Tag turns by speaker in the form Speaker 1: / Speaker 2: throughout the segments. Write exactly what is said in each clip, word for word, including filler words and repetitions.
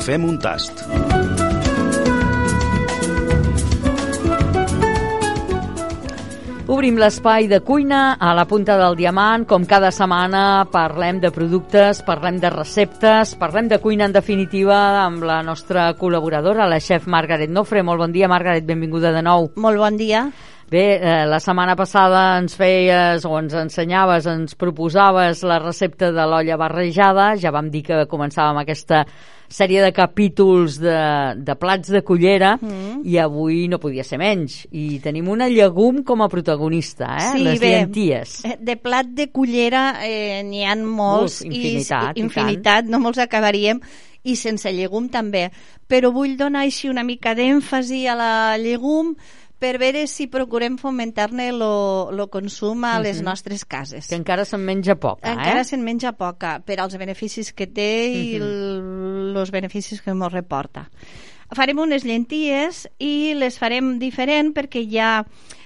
Speaker 1: Fem un tast.
Speaker 2: Obrim l'espai de cuina a la punta del diamant. Com cada setmana parlem de productes, parlem de receptes, parlem de cuina en definitiva amb la nostra col·laboradora, la xef Margaret Nofre. Molt bon dia, Margaret, benvinguda de nou.
Speaker 3: Molt bon dia.
Speaker 2: Bé, eh, la setmana passada ens feies o ens ensenyaves, ens proposaves la recepta de l'olla barrejada. Ja vam dir que començàvem aquesta sèrie de capítols de, de plats de cullera mm. i avui no podia ser menys. I tenim una llegum com a protagonista, eh?
Speaker 3: Sí,
Speaker 2: les
Speaker 3: bé,
Speaker 2: llenties.
Speaker 3: De plat de cullera eh, n'hi ha molts.
Speaker 2: Uf, infinitat,
Speaker 3: i, infinitat, no molts acabaríem, i sense llegum també. Però vull donar així una mica d'èmfasi a la llegum per veure si procurem fomentar-ne el consum a les uh-huh. nostres cases.
Speaker 2: Que encara se'n menja poca, eh?
Speaker 3: Encara se'n menja poca, per als beneficis que té i uh-huh. els beneficis que ens reporta. Farem unes llenties i les farem diferent perquè ja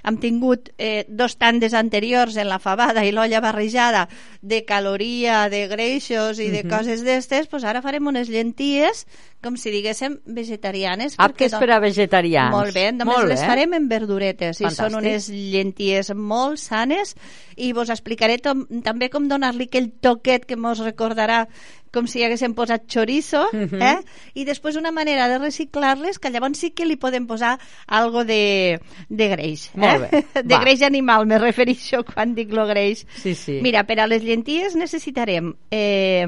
Speaker 3: hem tingut eh, dos tandes anteriors en la fabada i l'olla barrejada de caloria, de greixos i de uh-huh. coses d'estes, doncs ara farem unes llenties com si diguéssim vegetarianes.
Speaker 2: Aptes per a vegetarians.
Speaker 3: Molt bé, només
Speaker 2: molt bé.
Speaker 3: Les farem en verduretes. Fantàstic. I són unes llenties molt sanes i vos explicaré tom, també com donar-li aquell toquet que mos recordarà com si haguéssim posat chorizo, uh-huh. eh? I després una manera de reciclar-les que llavors sí que li podem posar algo de, de greix. Eh?
Speaker 2: Molt bé.
Speaker 3: De Va. greix animal, me refereixo quan dic lo greix.
Speaker 2: Sí, sí.
Speaker 3: Mira, per a les llenties necessitarem eh,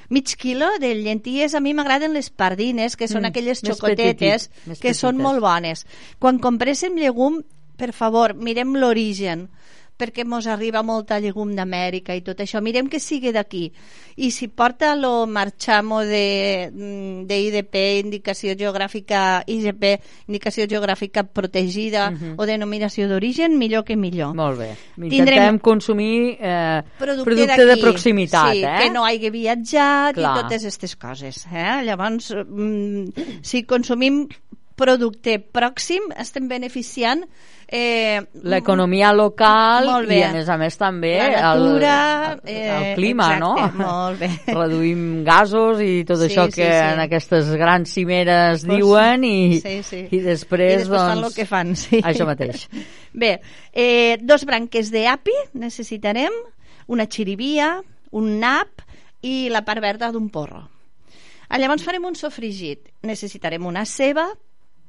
Speaker 3: mig quilo de llenties. A mi m'agraden les pardines, que són mm, aquelles xocotetes petit, que petites. Són molt bones. Quan compréssim llegum, per favor, mirem l'origen, perquè mos arriba molta llegum d'Amèrica i tot això. Mirem que sigui d'aquí. I si porta lo marxamo de, de I D P, indicació geogràfica, I G P, indicació geogràfica protegida uh-huh. o denominació d'origen, millor que millor.
Speaker 2: Molt bé. Intentem Tindrem consumir eh, producte, producte de proximitat.
Speaker 3: Sí,
Speaker 2: eh?
Speaker 3: que no hagi viatjat
Speaker 2: Clar.
Speaker 3: I totes aquestes coses. Eh? Llavors, mm, si consumim producte pròxim, estem beneficiant eh,
Speaker 2: l'economia local i a més a més també
Speaker 3: la natura,
Speaker 2: el, el, el
Speaker 3: eh,
Speaker 2: clima,
Speaker 3: exacte,
Speaker 2: no?
Speaker 3: Molt bé.
Speaker 2: Reduïm gasos i tot
Speaker 3: sí,
Speaker 2: això
Speaker 3: sí,
Speaker 2: que
Speaker 3: sí.
Speaker 2: en aquestes grans cimeres
Speaker 3: pues,
Speaker 2: diuen i,
Speaker 3: sí, sí.
Speaker 2: i després,
Speaker 3: I després
Speaker 2: doncs,
Speaker 3: fan el que fan, sí.
Speaker 2: Això mateix.
Speaker 3: Bé, eh, dos branques d'api necessitarem, una xirivia, un nap i la part verda d'un porro. Llavors farem un sofregit. Necessitarem una ceba,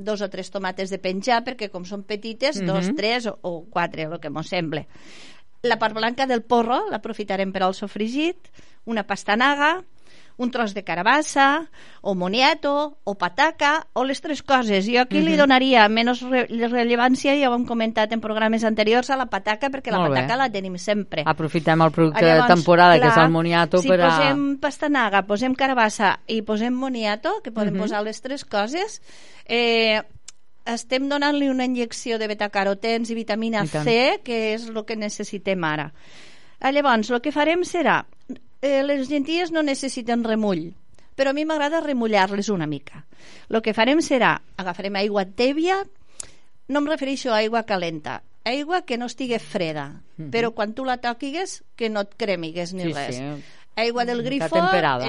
Speaker 3: dos o tres tomates de penjar, perquè com són petites, uh-huh. dos, tres o, o quatre, el que mos sembla. La part blanca del porro l'aprofitarem per al sofregit, una pastanaga, un tros de carabassa, o moniato, o pataca, o les tres coses. Jo aquí uh-huh. li donaria menys re- rellevància, ja ho hem comentat en programes anteriors, a la pataca, perquè
Speaker 2: Molt
Speaker 3: la pataca
Speaker 2: bé.
Speaker 3: La tenim sempre.
Speaker 2: Aprofitem el producte
Speaker 3: Llavors,
Speaker 2: de temporada,
Speaker 3: clar,
Speaker 2: que és el moniato,
Speaker 3: si
Speaker 2: per a...
Speaker 3: posem pastanaga, posem carabassa i posem moniato, que podem
Speaker 2: uh-huh.
Speaker 3: posar les tres coses, eh, estem donant-li una injecció de betacarotens i vitamina C, que és el que necessitem ara. Llavors, el que farem serà eh, les llenties no necessiten remull, però a mi m'agrada remullar-les una mica. El que farem serà, agafarem aigua tèbia, no em refereixo a aigua calenta, aigua que no estigui freda, uh-huh. però quan tu la toquigues que no et cremigues ni sí, res. Sí. Aigua del grifo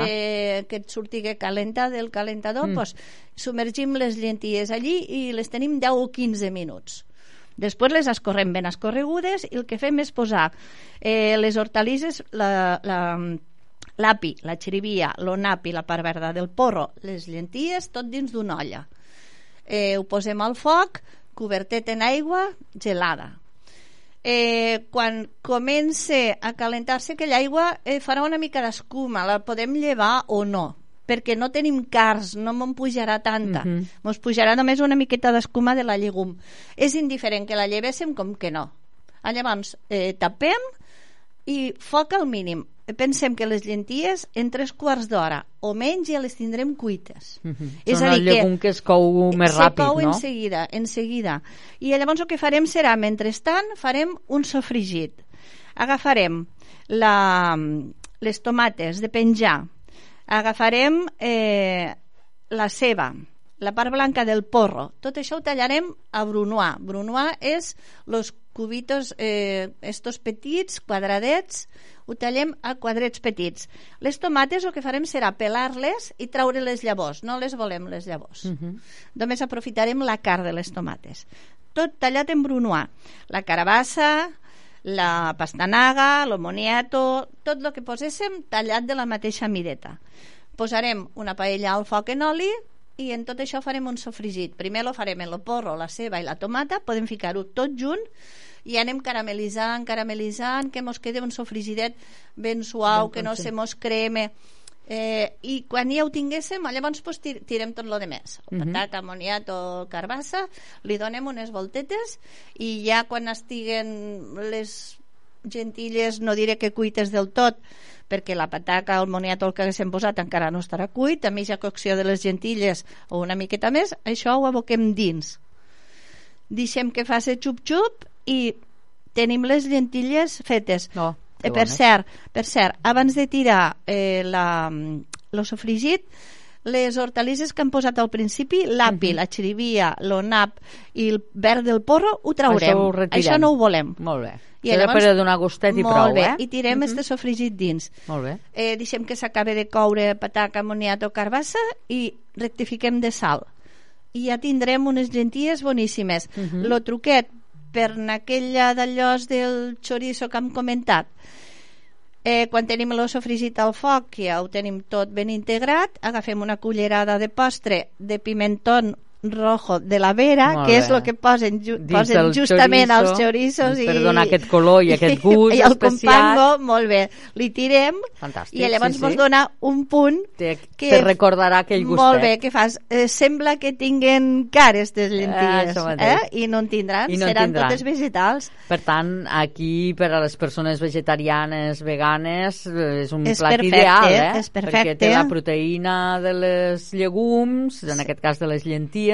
Speaker 3: eh, que et surtigui calenta del calentador, mm. pues, submergim les llenties allí i les tenim deu o quinze minuts. Després les escorrem ben escorregudes i el que fem és posar eh, les hortalisses, la, la, l'api, la xirivia, l'onap i la part verda del porro, les llenties, tot dins d'una olla. Eh, ho posem al foc, cobertet en aigua gelada. Eh, quan comence a calentar-se aquella aigua eh, farà una mica d'escuma, la podem llevar o no, perquè no tenim cars, no me'n pujarà tanta, uh-huh. mos pujarà només una miqueta d'escuma de la llegum. És indiferent que la llevéssim com que no. Llavors eh, tapem i foc al mínim. Pensem que les llenties en tres quarts d'hora o menys ja les tindrem cuites.
Speaker 2: Uh-huh. És Són a dir, el llegum que, que es cou més ràpid,
Speaker 3: no? Se cou
Speaker 2: no?
Speaker 3: en seguida, en seguida. I llavors el que farem serà, mentrestant, farem un sofregit. Agafarem la, les tomates de penjar, agafarem eh, la ceba, la part blanca del porro. Tot això ho tallarem a brunoise. Brunoise és els cubitos, eh, estos petits, quadradets, ho tallem a quadrets petits. Les tomates el que farem serà pelar-les i traure les llavors, no les volem les llavors. Uh-huh. Només aprofitarem la carn de les tomates. Tot tallat en brunoise. La carabassa, la pastanaga, el moniato, tot el que poséssim tallat de la mateixa mideta. Posarem una paella al foc en oli i en tot això farem un sofregit. Primer lo farem en el porro, la ceba i la tomata, podem ficar-ho tot junt i anem caramelitzant, caramelitzant, que mos quede un sofregidet ben suau, ben que no se mos creme. Eh, I quan ja ho tinguéssim, llavors pues, tir tirem tot lo de més. Uh -huh. Patata, moniato, carbassa, li donem unes voltetes i ja quan estiguen les gentilles, no diré que cuites del tot, perquè la pataca, el moniato, el que haguéssim posat encara no estarà cuit, a mitja cocció de les gentilles o una miqueta més, això ho aboquem dins. Deixem que faci xup-xup i tenim les lentilles fetes.
Speaker 2: Oh,
Speaker 3: eh, per, cert, per cert, abans de tirar eh, la, el sofregit, les hortalisses que hem posat al principi, l'api, uh -huh. la xirivia, l'onap i el verd del porro, ho traurem.
Speaker 2: Això, ho
Speaker 3: Això no ho volem.
Speaker 2: Molt bé. I Això llavors, per donar gustet i prou,
Speaker 3: bé.
Speaker 2: eh?
Speaker 3: I tirem uh -huh. este sofregit dins.
Speaker 2: Molt bé.
Speaker 3: Eh, deixem que s'acabe de coure pataca, moniato, carbassa i rectifiquem de sal. I ja tindrem unes gentilles boníssimes. Uh -huh. Lo truquet per aquella d'allòs del chorizo que hem comentat, eh, quan tenim el sofregit al foc, ja ho tenim tot ben integrat, agafem una cullerada de postre de pimentón rojo de la Vera, molt que bé. És el que posen, ju posen justament chorizo, als chorizos
Speaker 2: per i, donar aquest color i aquest gust
Speaker 3: i el
Speaker 2: especial.
Speaker 3: compango, molt bé, li tirem
Speaker 2: fantàstic,
Speaker 3: i llavors
Speaker 2: sí,
Speaker 3: mos
Speaker 2: sí.
Speaker 3: dona un punt
Speaker 2: te,
Speaker 3: que
Speaker 2: te recordarà aquell gustet.
Speaker 3: Molt bé, que fas? Eh, sembla que tinguen cares de lentilles,
Speaker 2: eh,
Speaker 3: eh? I no en tindran,
Speaker 2: I no
Speaker 3: seran
Speaker 2: tindran.
Speaker 3: totes vegetals.
Speaker 2: Per tant, aquí per a les persones vegetarianes, veganes, és un
Speaker 3: és
Speaker 2: plat
Speaker 3: perfecte,
Speaker 2: ideal, eh?
Speaker 3: És perfecte.
Speaker 2: Perquè té la proteïna de les llegums, en aquest cas de les llenties,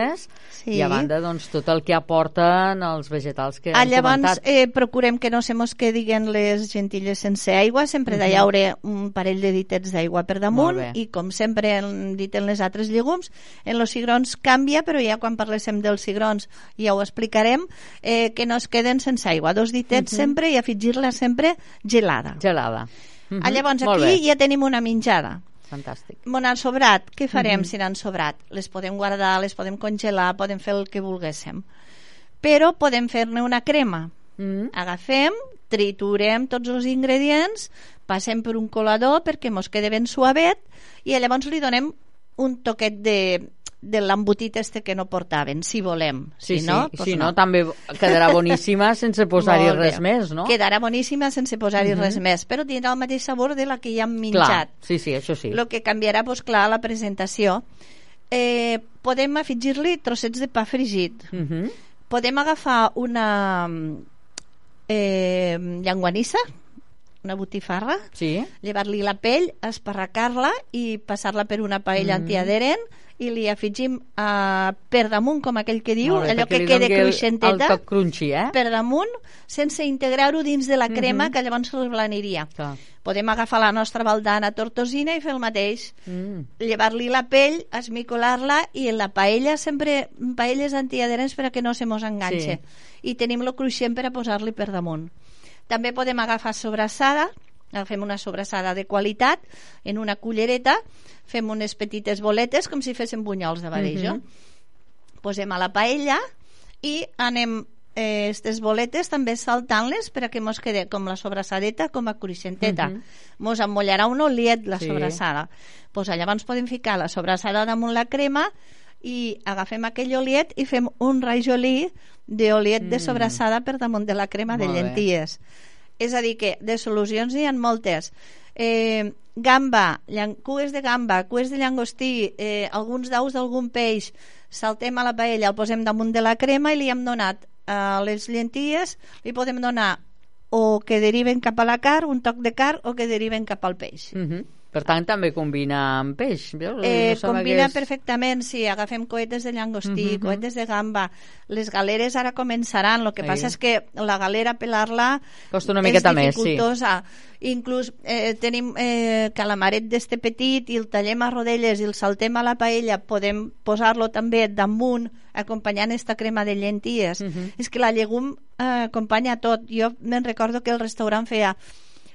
Speaker 2: sí. I a banda, doncs, tot el que aporten els vegetals que
Speaker 3: ah,
Speaker 2: hem
Speaker 3: llavors,
Speaker 2: comentat.
Speaker 3: Eh, procurem que no se mos quedin les gentilles sense aigua, sempre uh -huh. d'hi haurà un parell de ditets d'aigua per damunt, i com sempre hem dit en les altres llegums, en els cigrons canvia, però ja quan parléssim dels cigrons ja ho explicarem, eh, que no es queden sense aigua, dos ditets uh -huh. sempre i afegir-la sempre gelada.
Speaker 2: Gelada. Uh -huh.
Speaker 3: ah, llavors, aquí ja tenim una menjada.
Speaker 2: Fantàstic.
Speaker 3: Mon han sobrat, què farem
Speaker 2: uh -huh.
Speaker 3: si n'han sobrat? Les podem guardar, les podem congelar, podem fer el que volguéssim. Però podem fer-ne una crema. Uh -huh. Agafem, triturem tots els ingredients, passem per un colador perquè mos quede ben suavet i llavors li donem un toquet de, de l'embotit este que no portaven, si volem.
Speaker 2: Sí,
Speaker 3: si no,
Speaker 2: sí,
Speaker 3: pues
Speaker 2: si
Speaker 3: no.
Speaker 2: no, també quedarà boníssima sense posar-hi res més, no?
Speaker 3: Quedarà boníssima sense posar-hi uh -huh. res més, però tindrà el mateix sabor de la que ja hem menjat.
Speaker 2: Clar, sí, sí, això sí.
Speaker 3: El que canviarà, doncs clar, la presentació. Eh, podem afegir-li trossets de pa fregit. Uh -huh. Podem agafar una eh, llanguanissa, una botifarra,
Speaker 2: sí.
Speaker 3: llevar-li la pell, esparracar-la i passar-la per una paella mm. antiadherent i li afegim uh, per damunt, com aquell que diu,
Speaker 2: bé,
Speaker 3: allò que quede cruixenteta,
Speaker 2: el toc crunchy, eh?
Speaker 3: per damunt, sense integrar-ho dins de la crema, mm -hmm. que llavors reblaniria. Clar. Podem agafar la nostra baldana tortosina i fer el mateix. Mm. Llevar-li la pell, esmicolar-la i en la paella, sempre paelles antiadherents per a que no se mos enganxe. Sí. I tenim lo cruixent per a posar-li per damunt. També podem agafar sobrassada, agafem una sobrassada de qualitat en una cullereta, fem unes petites boletes com si féssim bunyols de badejo, mm -hmm. posem a la paella i anem eh, estes boletes també saltant-les per a que mos quede com la sobrassadeta com a cruixenteta. Mm -hmm. Mos emmollarà un oliet la sí. sobrassada. Pues llavors podem ficar la sobrassada damunt la crema i agafem aquell oliet i fem un rajolí d'oliet mm. de sobrassada per damunt de la crema Molt de llenties. Bé. És a dir que de solucions hi ha moltes. Eh, gamba, cues de gamba, cues de llangostí, eh, alguns daus d'algun peix, saltem a la paella, el posem damunt de la crema i li hem donat a les llenties, li podem donar o que deriven cap a la carn, un toc de carn, o que deriven cap al peix. Mm -hmm.
Speaker 2: Per tant, també combina amb peix.
Speaker 3: Eh, no combina és... perfectament, sí. Agafem coetes de llangostí, uh -huh. coetes de gamba. Les galeres ara començaran. El que passa és que la galera, pelar-la,
Speaker 2: costa una miqueta més, sí.
Speaker 3: Inclús eh, tenim eh, calamaret d'este petit i el tallem a rodelles i el saltem a la paella. Podem posar-lo també damunt, acompanyant esta crema de llenties. Uh -huh. És que la llegum eh, acompanya tot. Jo me'n recordo que el restaurant feia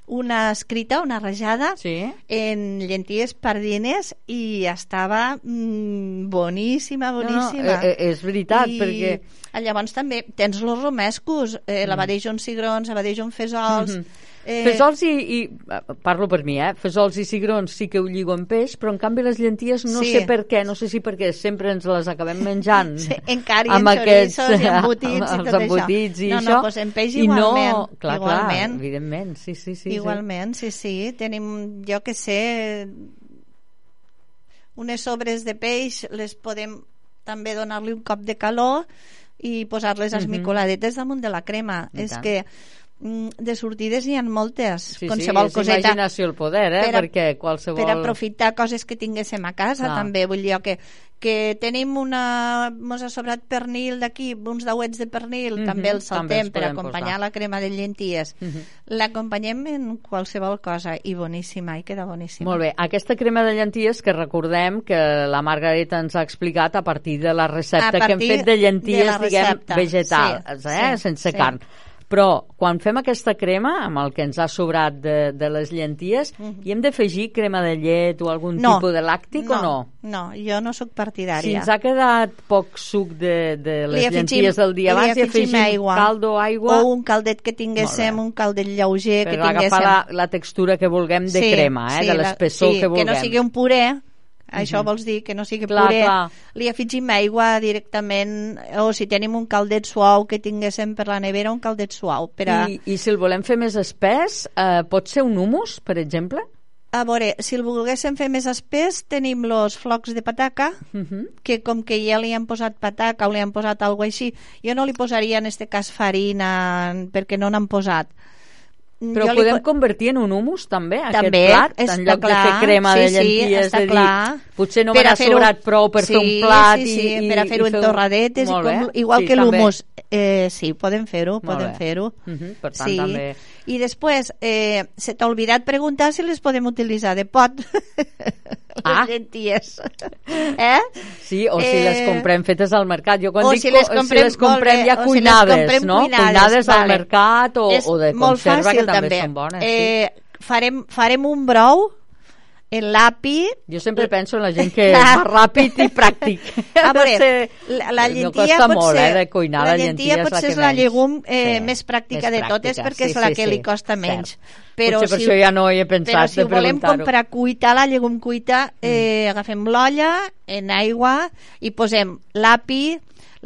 Speaker 3: una escrita, una rajada
Speaker 2: sí.
Speaker 3: en llenties pardines i estava mm, boníssima, boníssima.
Speaker 2: No, no, és veritat,
Speaker 3: I
Speaker 2: perquè...
Speaker 3: llavors també tens los romescos, eh, mm. l'abadejo amb cigrons, l'abadejo amb fesols... Mm-hmm.
Speaker 2: Eh... Fesols i, i... Parlo per mi, eh? Fesols i cigrons sí que ho lligo amb peix, però en canvi les llenties no sí. sé per què, no sé si perquè sempre ens les acabem menjant.
Speaker 3: Sí, encara i amb aquests, i embotits i tot
Speaker 2: embotits
Speaker 3: això.
Speaker 2: I
Speaker 3: no,
Speaker 2: això.
Speaker 3: no, doncs en peix igualment.
Speaker 2: I no, clar,
Speaker 3: igualment.
Speaker 2: clar, evidentment, sí, sí, sí.
Speaker 3: Igualment, sí, sí. Tenim, jo que sé, unes sobres de peix, les podem també donar-li un cop de calor i posar-les uh -huh. esmicoladetes damunt de la crema. I és tant. Que de sortides n'hi ha moltes,
Speaker 2: sí,
Speaker 3: qualsevol
Speaker 2: sí,
Speaker 3: coseta.
Speaker 2: Imaginació el poder, eh?
Speaker 3: Per a,
Speaker 2: perquè qualsevol...
Speaker 3: per aprofitar coses que tinguéssim a casa, clar. També, vull dir que, que tenim una... mos ha sobrat pernil d'aquí, uns dauets de pernil, mm-hmm, també els saltem per acompanyar posar. La crema de llenties. Mm-hmm. L'acompanyem en qualsevol cosa i boníssima, i queda boníssima.
Speaker 2: Molt bé, aquesta crema de llenties que recordem que la Margareta ens ha explicat a partir de la recepta que hem fet de llenties, de diguem, vegetals, sí, eh? Sí, sense sí. carn. Però quan fem aquesta crema, amb el que ens ha sobrat de, de les llenties, uh-huh. hi hem d'afegir crema de llet o algun
Speaker 3: no,
Speaker 2: tipus de làctic
Speaker 3: no,
Speaker 2: o no?
Speaker 3: No, jo no sóc partidària.
Speaker 2: Si ens ha quedat poc suc de, de les afegim, llenties del dia abans, hi afegim aigua. caldo, aigua...
Speaker 3: O un caldet que tinguéssim, un caldet lleuger
Speaker 2: per
Speaker 3: que tinguéssim.
Speaker 2: Per agafar la, la textura que vulguem de
Speaker 3: sí,
Speaker 2: crema, eh?
Speaker 3: sí,
Speaker 2: de l'espessor
Speaker 3: sí,
Speaker 2: que vulguem.
Speaker 3: Que no sigui un puré. Això uh-huh. vols dir que no sigui
Speaker 2: clar,
Speaker 3: puré,
Speaker 2: clar.
Speaker 3: li afegim aigua directament, o si tenim un caldet suau que tinguéssim per la nevera, un caldet suau. Per a...
Speaker 2: I, I si el volem fer més espès, eh, pot ser un humus, per exemple?
Speaker 3: A veure, si el volguéssim fer més espès, tenim els flocs de pataca, uh-huh. que com que ja li han posat pataca o li han posat alguna així, jo no li posaria en este cas farina, perquè no n'han posat.
Speaker 2: Però jo podem po... convertir en un humus també,
Speaker 3: també,
Speaker 2: aquest plat, en lloc
Speaker 3: clar.
Speaker 2: De fer crema
Speaker 3: sí,
Speaker 2: de llenties,
Speaker 3: sí,
Speaker 2: de dir, potser no m'ha sobrat prou per
Speaker 3: sí,
Speaker 2: fer un plat
Speaker 3: sí, sí,
Speaker 2: i,
Speaker 3: per a fer-ho en torradetes, i com, igual
Speaker 2: sí,
Speaker 3: que l'humus. Eh, sí, podem fer-ho, podem
Speaker 2: bé.
Speaker 3: fer-ho.
Speaker 2: Uh-huh, per tant,
Speaker 3: sí.
Speaker 2: també...
Speaker 3: I després, eh, se t'ha oblidat preguntar si les podem utilitzar de pot,
Speaker 2: ah.
Speaker 3: les llenties. Eh?
Speaker 2: Sí, o si eh... les comprem fetes al mercat. Jo quan
Speaker 3: o
Speaker 2: dic
Speaker 3: si les comprem,
Speaker 2: si les comprem
Speaker 3: bé,
Speaker 2: ja cuinades,
Speaker 3: si comprem
Speaker 2: no?
Speaker 3: Cuinades,
Speaker 2: cuinades
Speaker 3: vale.
Speaker 2: al mercat o, o de conserva, que també, també són bones.
Speaker 3: Eh, sí. farem, farem un brou en l'api.
Speaker 2: Jo sempre penso en la gent que va ràpid i pràctic.
Speaker 3: A veure, la, la llentia
Speaker 2: no
Speaker 3: pot ser,
Speaker 2: molt, eh, de cuinar,
Speaker 3: la llentia pot ser la, la llegum eh,
Speaker 2: sí,
Speaker 3: més pràctica
Speaker 2: més
Speaker 3: de totes
Speaker 2: pràctica,
Speaker 3: perquè
Speaker 2: sí,
Speaker 3: és la
Speaker 2: sí,
Speaker 3: que
Speaker 2: sí,
Speaker 3: li costa menys.
Speaker 2: Però Potser per si, això ja no hi he pensat
Speaker 3: però si
Speaker 2: de
Speaker 3: volem
Speaker 2: preguntar-ho.
Speaker 3: comprar cuita, la llegum cuita, eh, mm. agafem l'olla en aigua i posem l'api,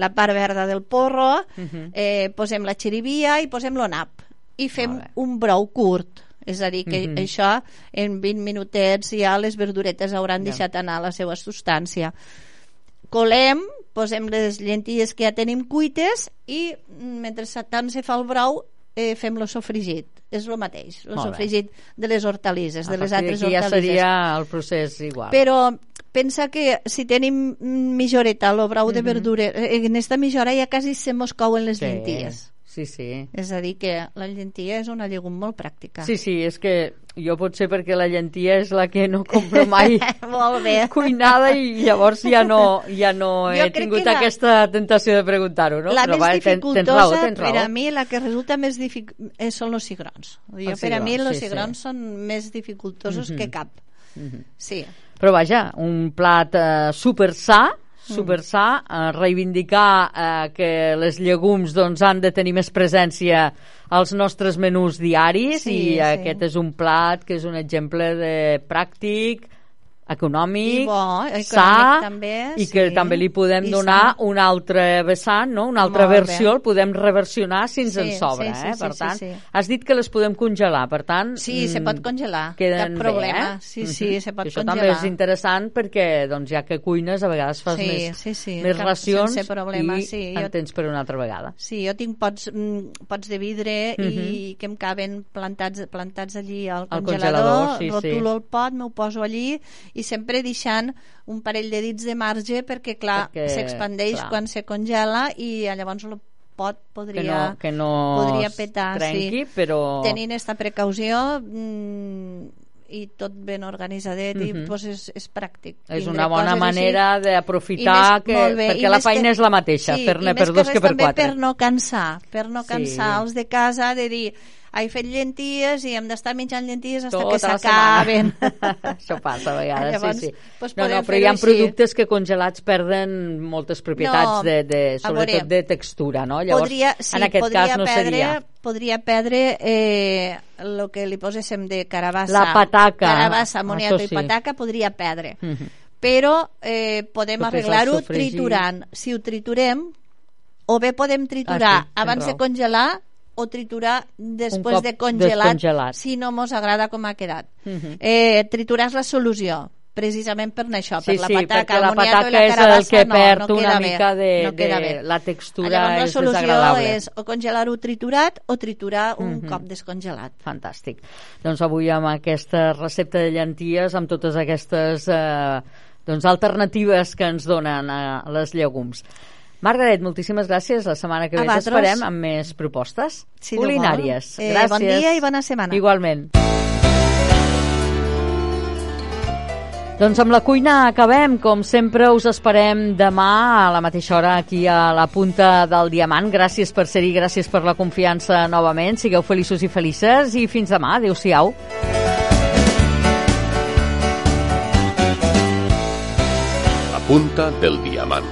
Speaker 3: la part verda del porro, mm-hmm. eh, posem la xirivia i posem l'onap i fem un brou curt. És a dir, que mm-hmm. això en vint minutets ja les verduretes hauran yeah. deixat anar la seva substància. Colem, posem les llenties que ja tenim cuites i mentre tant se fa el brou eh, fem el sofregit. És el mateix, el sofregit de les hortalisses,
Speaker 2: a
Speaker 3: de les altres hortalisses.
Speaker 2: Ja seria el procés igual.
Speaker 3: Però pensa que si tenim mitja horeta el brou mm-hmm. de verdura, en esta mitja hora ja quasi se mos couen les
Speaker 2: sí.
Speaker 3: llenties.
Speaker 2: Sí, sí.
Speaker 3: És a dir, que la llentia és una llegum molt pràctica.
Speaker 2: Sí, sí, és que jo potser perquè la llentia és la que no compro mai
Speaker 3: molt bé.
Speaker 2: cuinada i llavors ja no, ja no he tingut la... aquesta tentació de preguntar-ho, no?
Speaker 3: La
Speaker 2: Però
Speaker 3: més
Speaker 2: va,
Speaker 3: dificultosa,
Speaker 2: tens raó, tens raó.
Speaker 3: per a mi, la que resulta més dificultosa són els cigrons. Jo, per a mi, els sí, cigrons sí. són més dificultosos mm-hmm. que cap. Mm-hmm. Sí.
Speaker 2: Però vaja, un plat eh, super sa, super sa, eh, reivindicar eh, que les llegums doncs, han de tenir més presència als nostres menús diaris sí, i sí. aquest és un plat que és un exemple de pràctic, econòmic,
Speaker 3: I bo, econòmic
Speaker 2: sa,
Speaker 3: també,
Speaker 2: i que
Speaker 3: sí.
Speaker 2: també li podem
Speaker 3: I
Speaker 2: donar
Speaker 3: sa.
Speaker 2: un altre vessant, no? una altra
Speaker 3: Molt
Speaker 2: versió,
Speaker 3: bé.
Speaker 2: el podem reversionar si ens
Speaker 3: Sí,
Speaker 2: en sobra.
Speaker 3: sí, sí,
Speaker 2: eh?
Speaker 3: sí,
Speaker 2: Per
Speaker 3: sí,
Speaker 2: tant,
Speaker 3: sí.
Speaker 2: has dit que les podem congelar, per tant...
Speaker 3: Sí,
Speaker 2: mm,
Speaker 3: se pot congelar,
Speaker 2: queden
Speaker 3: cap problema.
Speaker 2: Bé, eh?
Speaker 3: Sí, sí, se pot
Speaker 2: això
Speaker 3: congelar.
Speaker 2: també és interessant perquè, doncs, ja que cuines, a vegades fas
Speaker 3: Sí,
Speaker 2: més,
Speaker 3: sí, sí,
Speaker 2: més
Speaker 3: cap-
Speaker 2: racions
Speaker 3: sense problema,
Speaker 2: i
Speaker 3: sí,
Speaker 2: en
Speaker 3: jo-
Speaker 2: tens per una altra vegada.
Speaker 3: Sí, jo tinc pots, mm, pots de vidre
Speaker 2: Mhm.
Speaker 3: i que em caben plantats, plantats allí al
Speaker 2: Al
Speaker 3: congelador,
Speaker 2: congelador, sí,
Speaker 3: rotulo
Speaker 2: sí.
Speaker 3: el pot, m'ho poso allí i sempre deixant un parell de dits de marge perquè, clar,
Speaker 2: Perquè,
Speaker 3: s'expandeix
Speaker 2: clar.
Speaker 3: quan se congela i llavors el pot podria,
Speaker 2: Que no, que no
Speaker 3: podria
Speaker 2: es
Speaker 3: petar.
Speaker 2: trenqui,
Speaker 3: sí.
Speaker 2: però...
Speaker 3: Tenint esta precaució mm, i tot ben organitzadet i
Speaker 2: Mhm.
Speaker 3: pues és, és pràctic.
Speaker 2: És
Speaker 3: tindre
Speaker 2: una bona
Speaker 3: coses així.
Speaker 2: manera
Speaker 3: I
Speaker 2: d'aprofitar,
Speaker 3: més-
Speaker 2: que,
Speaker 3: molt bé, i
Speaker 2: perquè la
Speaker 3: més
Speaker 2: feina
Speaker 3: que-
Speaker 2: és la mateixa,
Speaker 3: sí,
Speaker 2: fer-ne
Speaker 3: i
Speaker 2: per
Speaker 3: més
Speaker 2: dos
Speaker 3: que
Speaker 2: que
Speaker 3: res
Speaker 2: per
Speaker 3: també
Speaker 2: quatre.
Speaker 3: per no cansar, per no
Speaker 2: Sí.
Speaker 3: cansar els de casa de dir he fet llenties i hem d'estar menjant llenties fins
Speaker 2: Tota
Speaker 3: que
Speaker 2: la
Speaker 3: s'acaben.
Speaker 2: Això passa a vegades,
Speaker 3: Llavors,
Speaker 2: sí, sí.
Speaker 3: doncs
Speaker 2: No, no,
Speaker 3: podem
Speaker 2: però hi
Speaker 3: fer-ho
Speaker 2: ha
Speaker 3: així.
Speaker 2: productes que congelats perden moltes propietats,
Speaker 3: No,
Speaker 2: de, de,
Speaker 3: a
Speaker 2: sobretot
Speaker 3: veure,
Speaker 2: de textura, no? Llavors,
Speaker 3: podria, sí,
Speaker 2: en aquest
Speaker 3: podria
Speaker 2: cas no
Speaker 3: perdre,
Speaker 2: seria...
Speaker 3: podria perdre eh, el que li poséssim de carabassa.
Speaker 2: La pataca,
Speaker 3: Carabassa, moniato
Speaker 2: això
Speaker 3: i
Speaker 2: sí.
Speaker 3: pataca podria perdre.
Speaker 2: Mhm.
Speaker 3: Però eh, podem
Speaker 2: Tot és el
Speaker 3: arreglar-ho
Speaker 2: sofregit.
Speaker 3: triturant. Si ho triturem, o bé podem triturar
Speaker 2: Ah, sí, tens
Speaker 3: abans de
Speaker 2: raó.
Speaker 3: congelar o triturar després
Speaker 2: cop
Speaker 3: de congelat,
Speaker 2: descongelat.
Speaker 3: si no mos agrada com ha quedat.
Speaker 2: Mhm.
Speaker 3: eh, triturar és la solució, precisament per això,
Speaker 2: Sí,
Speaker 3: per la
Speaker 2: sí,
Speaker 3: pataca,
Speaker 2: perquè la
Speaker 3: el moniato i
Speaker 2: pataca
Speaker 3: la
Speaker 2: és el
Speaker 3: carabassa
Speaker 2: que
Speaker 3: no,
Speaker 2: perd
Speaker 3: no
Speaker 2: una
Speaker 3: queda
Speaker 2: mica
Speaker 3: bé,
Speaker 2: de,
Speaker 3: no queda
Speaker 2: de
Speaker 3: bé.
Speaker 2: la textura,
Speaker 3: Llavors, la
Speaker 2: és
Speaker 3: solució
Speaker 2: desagradable.
Speaker 3: és o congelar-ho triturat o triturar un
Speaker 2: Mhm.
Speaker 3: cop descongelat.
Speaker 2: Fantàstic. Doncs avui amb aquesta recepta de llenties, amb totes aquestes eh, doncs alternatives que ens donen a les llegums. Margaret, moltíssimes gràcies. La setmana que ve
Speaker 3: A
Speaker 2: t'esperem
Speaker 3: vosaltres.
Speaker 2: amb més propostes
Speaker 3: Si Déu vol.
Speaker 2: culinàries.
Speaker 3: Eh,
Speaker 2: gràcies.
Speaker 3: bon dia i bona setmana.
Speaker 2: Igualment. Doncs amb la cuina acabem. Com sempre, us esperem demà a la mateixa hora aquí a la Punta del Diamant. Gràcies per ser-hi, gràcies per la confiança novament. Sigueu feliços i felices i fins demà. Adéu-siau.
Speaker 1: La Punta del Diamant.